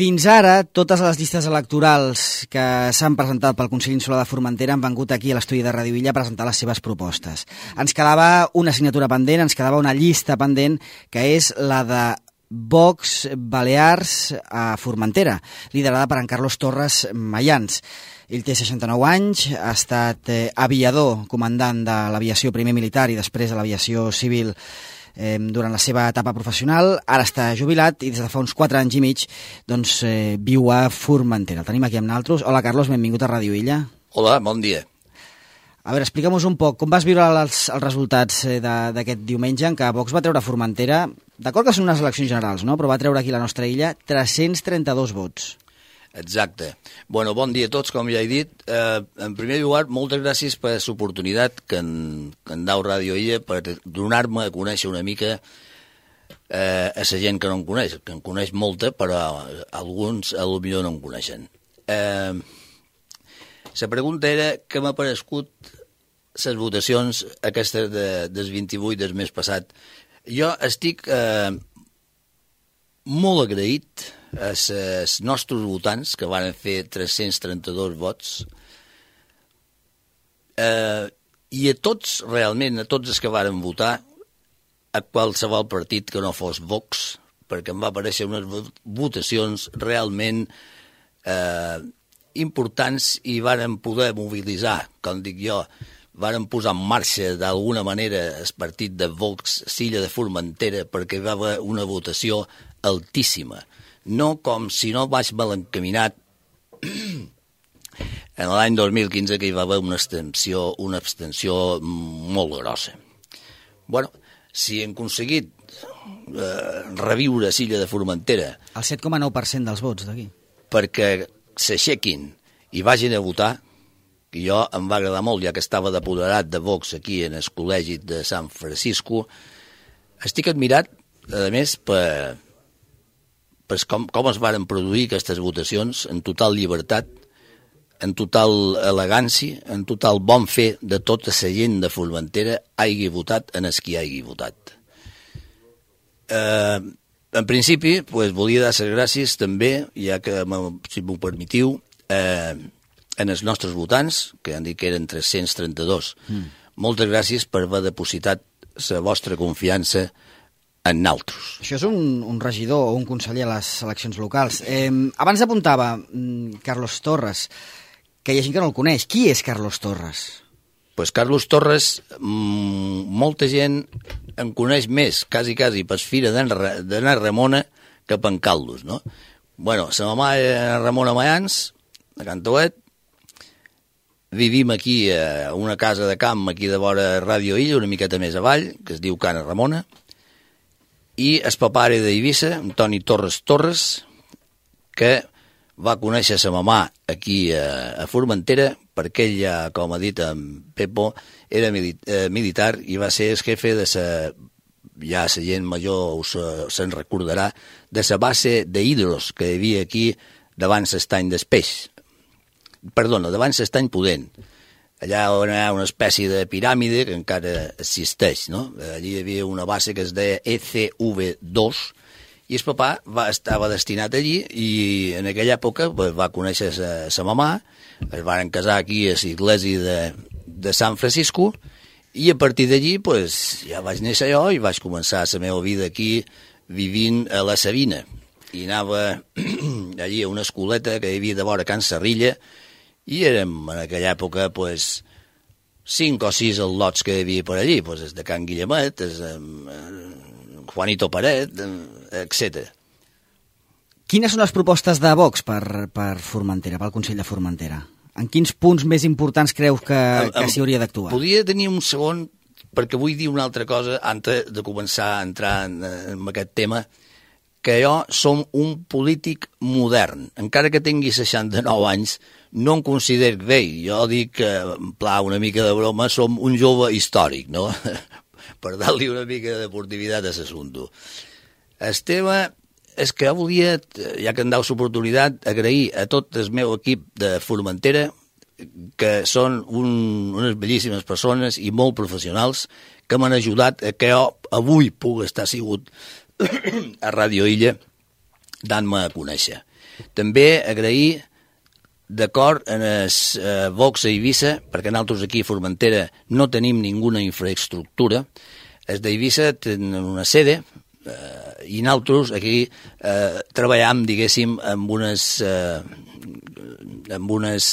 Fins ara, totes les llistes electorals que s'han presentat pel Consell Insular de Formentera han vengut aquí a l'estudi de Radio Illa a presentar les seves propostes. Ens quedava una assignatura pendent, ens quedava una llista pendent, que és la de Vox Balears a Formentera, liderada per en Carlos Torres Mayans. Ell té 69 anys, ha estat aviador, comandant de l'aviació primer militar i després de l'aviació civil durant la seva etapa professional. Ara està jubilat i des de fa uns 4 anys i mig viu a Formentera. El tenim aquí amb nosaltres. Hola, Carlos, benvingut a Radio Illa. Hola, bon dia. A veure, explica'm-nos un poc, com vas viure els resultats d'aquest diumenge en què Vox va treure a Formentera, d'acord que són unes eleccions generals, no? Però va treure aquí a la nostra illa 332 vots. Exacte. Bueno, bon dia a tots, com ja he dit. En primer lloc, moltes gràcies per l'oportunitat que en dau Radio Illa per donar-me a conèixer una mica a la gent que no em coneix, que em coneix molta, però alguns potser no em coneixen. La pregunta era què m'ha parescut les votacions aquestes del 28 del mes passat. Jo estic molt agraït als nostres votants, que van fer 332 vots, i a tots, realment, a tots els que varen votar, a qualsevol partit que no fos Vox, perquè em va aparèixer unes votacions realment importants i varen poder mobilitzar, com dic jo, varen posar en marxa d'alguna manera el partit de Vox Silla de Formentera perquè va haver una votació altíssima. No com si no vaig mal encaminat en l'any 2015 que hi va haver una abstenció molt grossa. Bueno, si hem aconseguit reviure Silla de Formentera... El 7,9% dels vots d'aquí. Perquè s'aixequin i vagin a votar, que jo em va agradar molt, ja que estava d'apoderat de Vox aquí en el col·legi de Sant Francisco. Estic admirat, a més, per com es varen produir aquestes votacions en total llibertat, en total elegància, en total bon fer de tota la gent de Formentera hagi votat en els qui hagi votat. En principi, volia dar les gràcies també, ja que, si m'ho permetiu, en els nostres votants, que han dit que eren 332. Moltes gràcies per haver depositat la vostra confiança en naltros. Això és un regidor o un conseller a les eleccions locals. Abans apuntava Carlos Torres, que hi ha gent que no el coneix. Qui és Carlos Torres? Pues Carlos Torres, molta gent en coneix més, quasi, per fira d'Anna Ramona que per en Caldos, no? Bueno, sa mamà era Ramona Mayans, de Cantauet. Vivim aquí a una casa de camp, aquí de vora Radio Illa, una miqueta més avall, que es diu Cana Ramona. I el papà era d'Eivissa, Antoni Torres, que va conèixer sa mamà aquí a Formentera, perquè ell, com ha dit en Pepo, era militar i va ser el jefe de ja la gent major se'n recordarà, de la base d'Hidros que hi havia aquí davant l'estany d'Espeix. Perdona, davant l'estany Pudent. Allà on hi ha una espècie de piràmide que encara existeix, no? Allí hi havia una base que es deia ECV2 i el papà estava destinat allí i en aquella època va conèixer sa mamà, es van casar aquí a l'església de Sant Francisco i a partir d'allí ja vaig néixer jo i vaig començar la meva vida aquí vivint a la Sabina i anava allí a una escoleta que hi havia de vora Can Sarrilla i érem en aquella època 5 o 6 al·lots que hi havia per allí, els de Can Guillemet, Juanito Paret, etc. Quines són les propostes de Vox per Formentera, pel Consell de Formentera? En quins punts més importants creus que s'hi hauria d'actuar? Podria tenir un segon, perquè vull dir una altra cosa antes de començar a entrar en aquest tema, que jo som un polític modern. Encara que tingui 69 anys, no em considero vell. Jo dic que, en pla, una mica de broma, som un jove històric, no? Per dar-li una mica de deportivitat a l'assumpte. El tema és que jo volia, ja que em dau l'oportunitat, agrair a tot el meu equip de Formentera, que són unes bellíssimes persones i molt professionals, que m'han ajudat a que jo avui pugui estar sigut a Radio Illa dant-me a conèixer. També agrair d'acord en el Vox a Eivissa, perquè nosaltres aquí a Formentera no tenim ninguna infraestructura. Els d'Eivissa tenen una sede i nosaltres aquí treballam, diguéssim, amb unes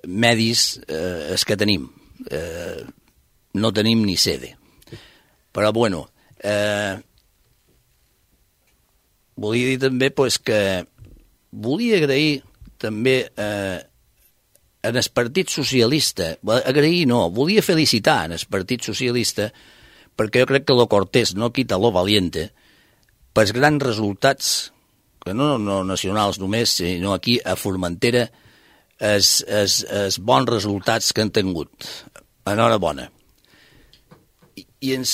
medis que tenim. No tenim ni sede. Però, bueno, volia dir també que volia agrair també en el Partit Socialista, volia felicitar en el Partit Socialista, perquè jo crec que lo cortés no quita lo valiente, pels grans resultats, que no nacionals només, sinó aquí a Formentera, els bons resultats que han tingut. Enhorabona. I en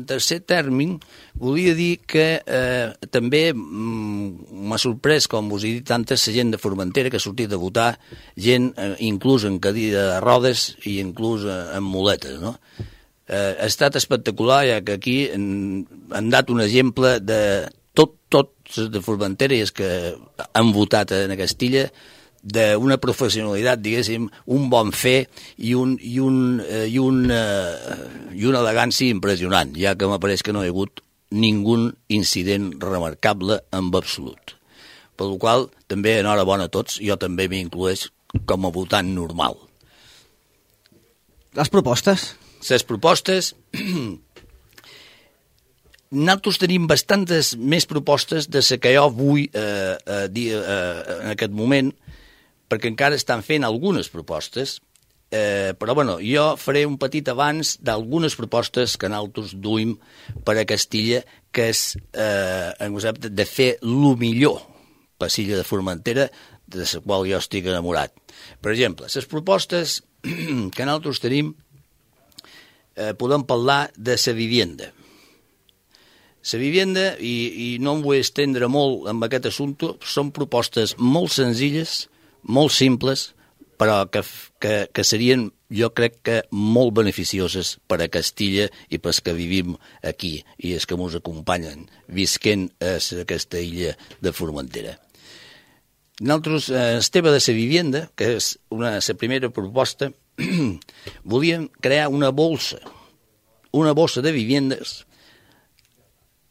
tercer terme, volia dir que també m'ha sorprès, com us he dit antes, la gent de Formentera que ha sortit a votar, gent inclús en cadira de rodes i inclús en muletes, no? Ha estat espectacular, ja que aquí han dat un exemple de tots de Formentera i els que han votat en Castilla, d'una professionalitat, diguéssim, un bon fer i una elegància impressionant, ja que m'apareix que no hi ha hagut ningú incident remarcable en absolut. Per la qual també enhorabona a tots, jo també m'incloeix com a votant normal. Les propostes? Les propostes... Nosaltres tenim bastantes més propostes de les que jo vull dir en aquest moment, perquè encara estan fent algunes propostes, però bueno, jo faré un petit avanç d'algunes propostes que nosaltres duim per a Castilla, que és en concepte de fer el millor per l'illa de Formentera, de la qual jo estic enamorat. Per exemple, les propostes que nosaltres tenim, podem parlar de la vivienda. La vivienda, i no em vull estendre molt en aquest assumpte, són propostes molt senzilles, molt simples, però que serien, jo crec que, molt beneficioses per a Castilla i pels que vivim aquí i els que ens acompanyen visquent a aquesta illa de Formentera. Nosaltres, el tema de la vivienda, que és la primera proposta, volíem crear una bossa de viviendes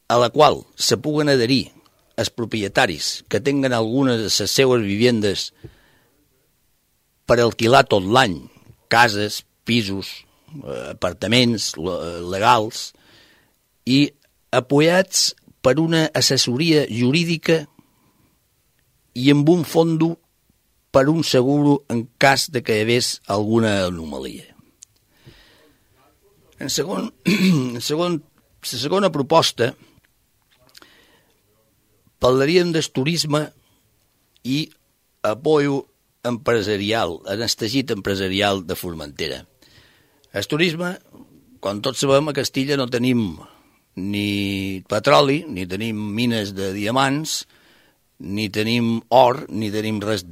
a la qual se puguen adherir els propietaris que tinguen algunes de les seues vivendes per alquilar tot l'any, cases, pisos, apartaments legals, i apoyats per una assessoria jurídica i amb un fondo per un seguro en cas de que hi hagués alguna anomalia. La segona proposta, parlaríem del turisme i apoyo empresarial, en el teixit empresarial de Formentera. El turisme, com tots sabem, a Castilla no tenim ni petroli, ni tenim mines de diamants, ni tenim or, ni tenim res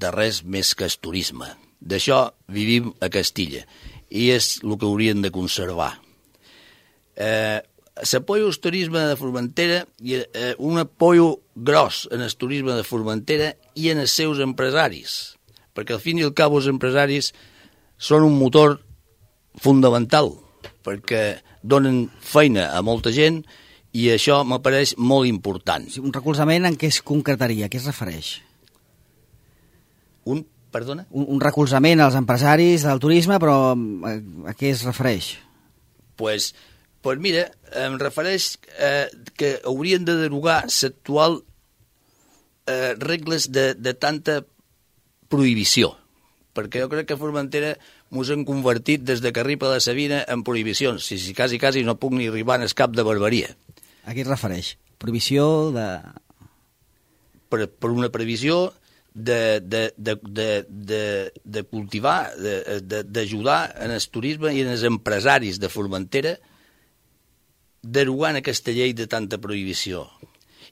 més que el turisme. D'això vivim a Castilla i és el que hauríem de conservar. L'apoyo al turisme de Formentera i un apoyo gros en el turisme de Formentera i en els seus empresaris, perquè al fin i al cap els empresaris són un motor fundamental, perquè donen feina a molta gent i això m'apareix molt important. Un recolzament en què es concretaria? A què es refereix? Perdona? Un recolzament als empresaris del turisme, però a què es refereix? Pues mira, em refereix que haurien de derogar l'actual regles de tanta prohibició, perquè jo crec que a Formentera ens han convertit des de que arriba la Sabina en prohibicions, si quasi no puc ni arribar en el cap de barbaria. A què es refereix? Prohibició de... Per una previsió de cultivar, d'ajudar en el turisme i en els empresaris de Formentera, derogant aquesta llei de tanta prohibició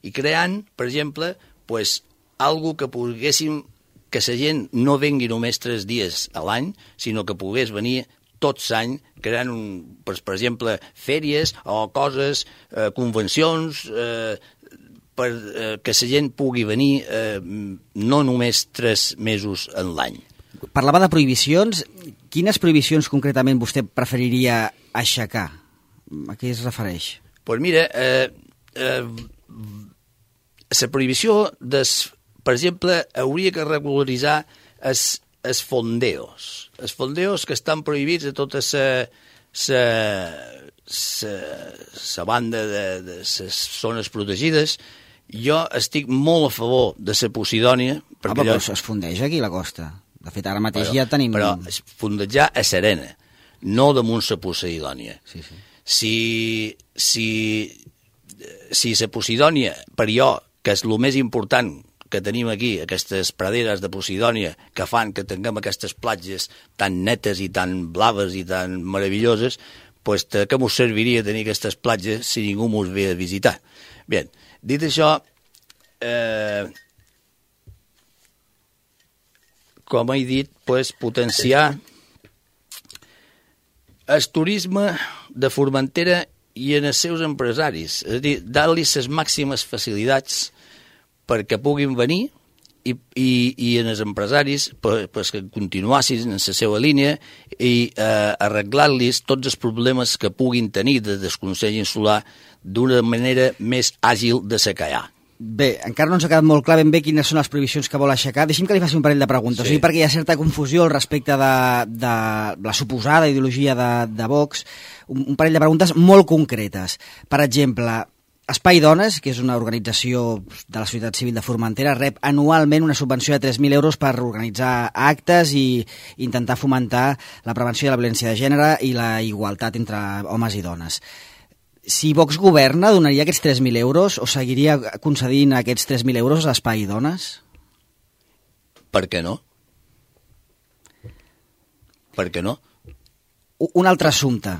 i creant, per exemple, algo que poguéssim, que la gent no vengui només 3 dies a l'any, sinó que pogués venir tot l'any, creant, per exemple, fèries o coses, convencions, que la gent pugui venir no només 3 mesos en l'any. Parlava de prohibicions. Quines prohibicions concretament vostè preferiria aixecar? A què es refereix? Doncs mira, la prohibició, per exemple, hauria que regularitzar els fondeos. Els fondeos que estan prohibits a tota la banda de les zones protegides. Jo estic molt a favor de la Posidònia. Però es fondeix aquí la costa. De fet, ara mateix ja tenim... Però es fondejar a Serena, no damunt la Posidònia. Sí. Si la Posidònia, per jo, que és el més important que tenim aquí, aquestes praderes de Posidònia, que fan que tinguem aquestes platges tan netes i tan blaves i tan meravelloses, doncs que mos serviria tenir aquestes platges si ningú mos ve a visitar. Bé, dit això, com he dit, potenciar el turisme de Formentera i en els seus empresaris. És a dir, dar-li les màximes facilitats perquè puguin venir i en els empresaris que continuassin en la seva línia i arreglar-los tots els problemes que puguin tenir de desconsell insular d'una manera més àgil de ser que hi ha. Bé, encara no ens ha quedat molt clar ben bé quines són les prohibicions que vol aixecar. Deixi'm que li faci un parell de preguntes, sí. Perquè hi ha certa confusió al respecte de la suposada ideologia de Vox. Un parell de preguntes molt concretes. Per exemple, Espai Dones, que és una organització de la societat civil de Formentera, rep anualment una subvenció de 3.000 euros per organitzar actes i intentar fomentar la prevenció de la violència de gènere i la igualtat entre homes i dones. Si Vox governa, donaria aquests 3.000 euros o seguiria concedint aquests 3.000 euros a Espai Dones? Per què no? Per què no? Un altre assumpte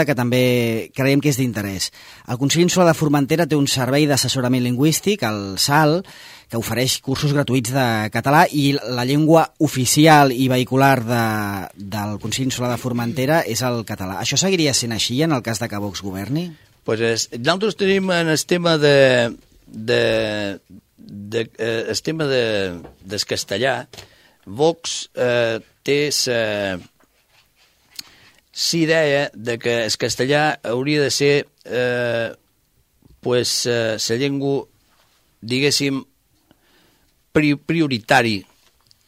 que també creiem que és d'interès. El Consell Insular de Formentera té un servei d'assessorament lingüístic, el SAL, que ofereix cursos gratuïts de català i la llengua oficial i vehicular del Consell Insular de Formentera és el català. Això seguiria sent així en el cas de que Vox governi? Nosaltres tenim en el tema el tema del castellà. Vox té idea de que el castellà hauria de ser la llengua, diguéssim, prioritari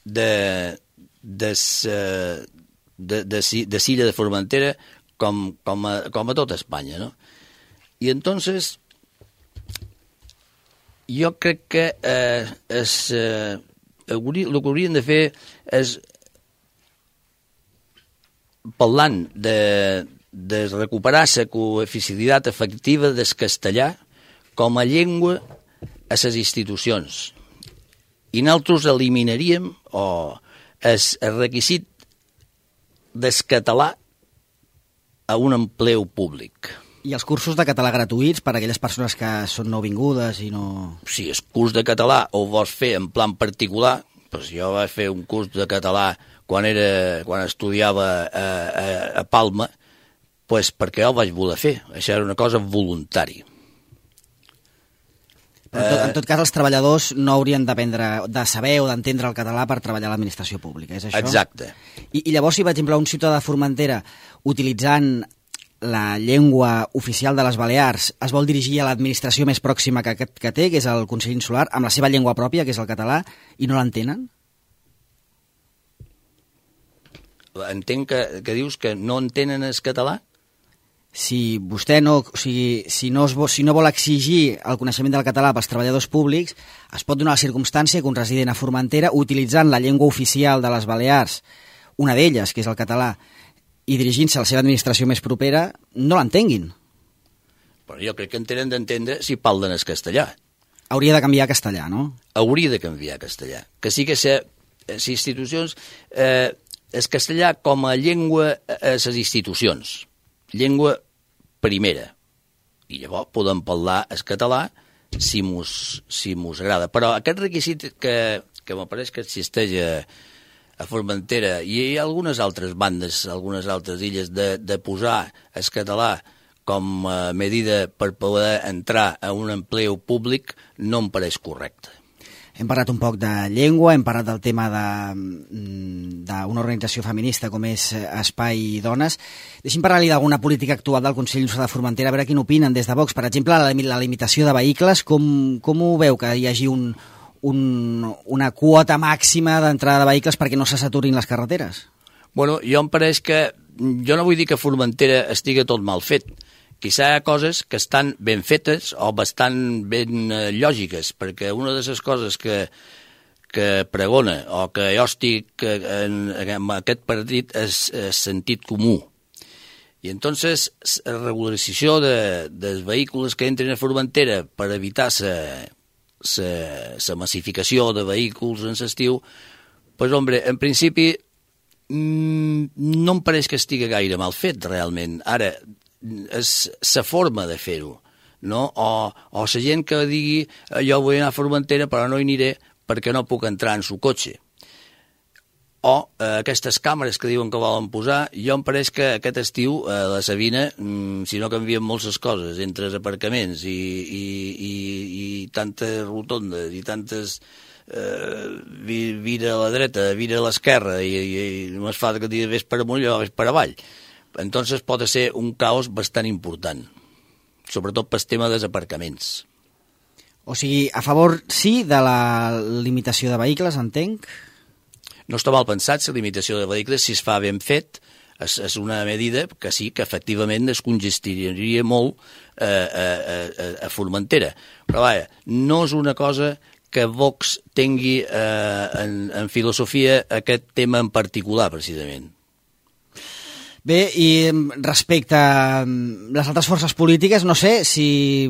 de l'illa de Formentera com a tot Espanya, no? I entonces jo crec que el que haurien de fer és, parlant de recuperar la coeficialitat efectiva del castellà com a llengua a les institucions. I nosaltres eliminaríem el requisit del català a un empleu públic. I els cursos de català gratuïts per a aquelles persones que són nouvingudes i no... Si el curs de català ho vols fer en plan particular, doncs jo vaig fer un curs de català quan estudiava a Palma, doncs perquè jo ho vaig voler fer. Això era una cosa voluntària. En tot cas, els treballadors no haurien de saber o d'entendre el català per treballar a l'administració pública, és això? Exacte. I llavors, si, per exemple, un ciutadà de Formentera, utilitzant la llengua oficial de les Balears, es vol dirigir a l'administració més pròxima que té, que és el Consell Insular, amb la seva llengua pròpia, que és el català, i no l'entenen? Entenc que dius que no entenen el català? Si vostè no vol exigir el coneixement del català pels treballadors públics, es pot donar la circumstància que un resident a Formentera, utilitzant la llengua oficial de les Balears, una d'elles, que és el català, i dirigint-se a la seva administració més propera, no l'entenguin. Però jo crec que tenen d'entendre si parlen el castellà. Hauria de canviar a castellà, no? Hauria de canviar a castellà. Que sí que les institucions... el castellà com a llengua a les institucions. Llengua primera. I llavors podem parlar el català si mos agrada. Però aquest requisit que m'apareix que existeix a Formentera i hi ha algunes altres bandes, algunes altres illes, de posar el català com a medida per poder entrar a un empleo públic no em pareix correcte. Hem parlat un poc de llengua, hem parlat del tema d'una organització feminista com és Espai Dones. Deixi'm parlar-li d'alguna política actual del Consell Insular de Formentera, a veure quin opinen des de Vox. Per exemple, la limitació de vehicles, com ho veu que hi hagi una quota màxima d'entrada de vehicles perquè no se saturin les carreteres? Bueno, jo em pareix que... Jo no vull dir que Formentera estigui tot mal fet. Quizà hi ha coses que estan ben fetes o bastant ben lògiques, perquè una de les coses que pregona o que jo estic en aquest partit és sentit comú. I entonces la regularització dels vehicles que entren a Formentera per evitar la massificació de vehicles en l'estiu, pues, hombre, en principi no em pareix que estigui gaire mal fet, realment. Ara, és la forma de fer-ho, no? O la gent que digui jo vull anar a Formentera però no hi aniré perquè no puc entrar en su cotxe. O aquestes càmeres que diuen que volen posar, jo em pareix que aquest estiu a la Sabina, si no canvien moltes coses entre els aparcaments i tantes rotondes i tantes vira a la dreta, vira a l'esquerra i només fa que ves per amunt i ves per avall. Entonces pot ser un caos bastant important, sobretot pel tema dels aparcaments. O sigui, a favor, sí, de la limitació de vehicles, entenc? No està mal pensat, la limitació de vehicles, si es fa ben fet, és una medida que sí, que efectivament es congestiria molt a Formentera. Però vaja, no és una cosa que Vox tingui en filosofia aquest tema en particular, precisament. Bé, i respecte a les altres forces polítiques, no sé si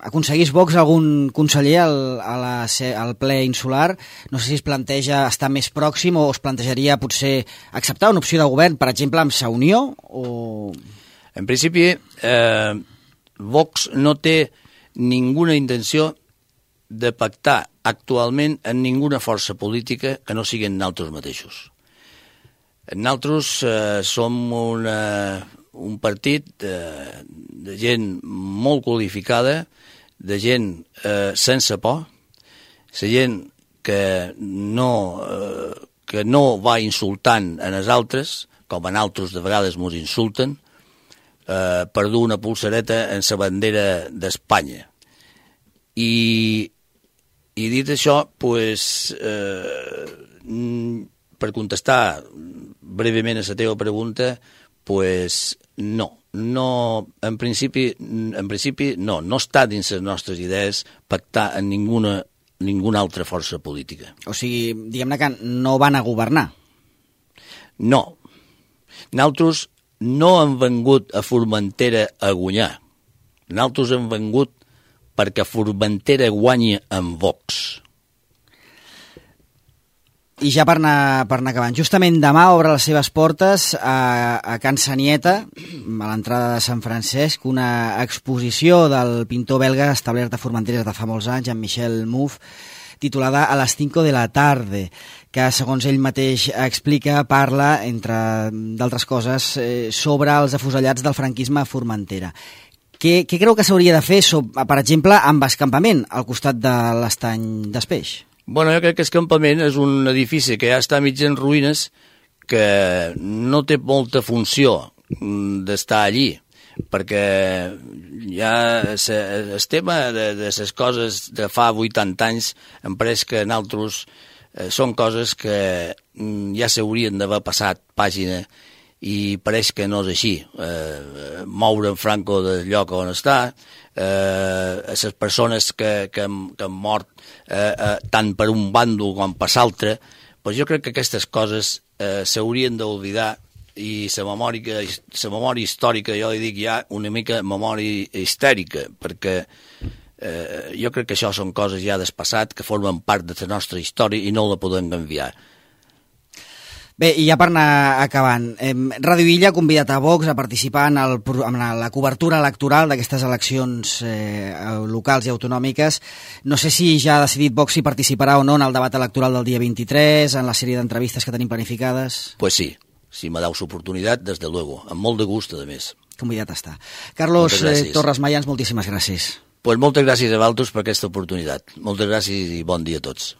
aconseguís Vox algun conseller al ple insular, no sé si es planteja estar més pròxim o es plantejaria potser acceptar una opció de govern, per exemple, amb Sa Unió? O... En principi, Vox no té ninguna intenció de pactar actualment en ninguna força política que no siguin nosaltres mateixos. Nosaltres som un partit de gent molt qualificada, de gent sense por, la gent que no va insultant a els altres, com a nosaltres de vegades ens insulten, per dur una pulsareta en la bandera d'Espanya. I dit això, pues, per contestar breument a la teva pregunta, pues no, en principi no està dins les nostres idees pactar en ninguna altra força política. O sigui, diguem-ne que no van a governar. No. Nosaltres no hem vengut a Formentera a guanyar. Nosaltres hem vengut perquè Formentera guanyi amb Vox. I ja per anar acabant, justament demà obre les seves portes a Can Sanieta, a l'entrada de Sant Francesc, una exposició del pintor belga establert a Formentera de fa molts anys, Jean-Michel Mouffe, titulada A las 5 de la tarde, que, segons ell mateix explica, parla, entre d'altres coses, sobre els afusellats del franquisme a Formentera. Què creu que s'hauria de fer, per exemple, amb escampament al costat de l'estany d'Espeix? Bueno, jo crec que el campament és un edifici que ja està mig en ruïnes, que no té molta funció d'estar allí, perquè ja el tema de les coses de fa 80 anys em pareix que nosaltres són coses que ja s'haurien d'haver passat pàgina i pareix que no és així. Moure en Franco del lloc on està, les persones que han mort tant per un bàndol com per l'altre, doncs jo crec que aquestes coses s'haurien d'oblidar i la memòria històrica, jo li dic ja una mica memòria histèrica, perquè jo crec que això són coses ja del passat que formen part de la nostra història i no la podem canviar. Bé, i ja per anar acabant, Ràdio Illa ha convidat a Vox a participar en la cobertura electoral d'aquestes eleccions locals i autonòmiques. No sé si ja ha decidit Vox si participarà o no en el debat electoral del dia 23, en la sèrie d'entrevistes que tenim planificades. Pues sí, si me dau l'oportunitat, des de luego, amb molt de gust, a més. convidat està. Carlos gràcies. Torres Mayans, moltíssimes gràcies. Pues moltes gràcies a vosaltres per aquesta oportunitat. Moltes gràcies i bon dia a tots.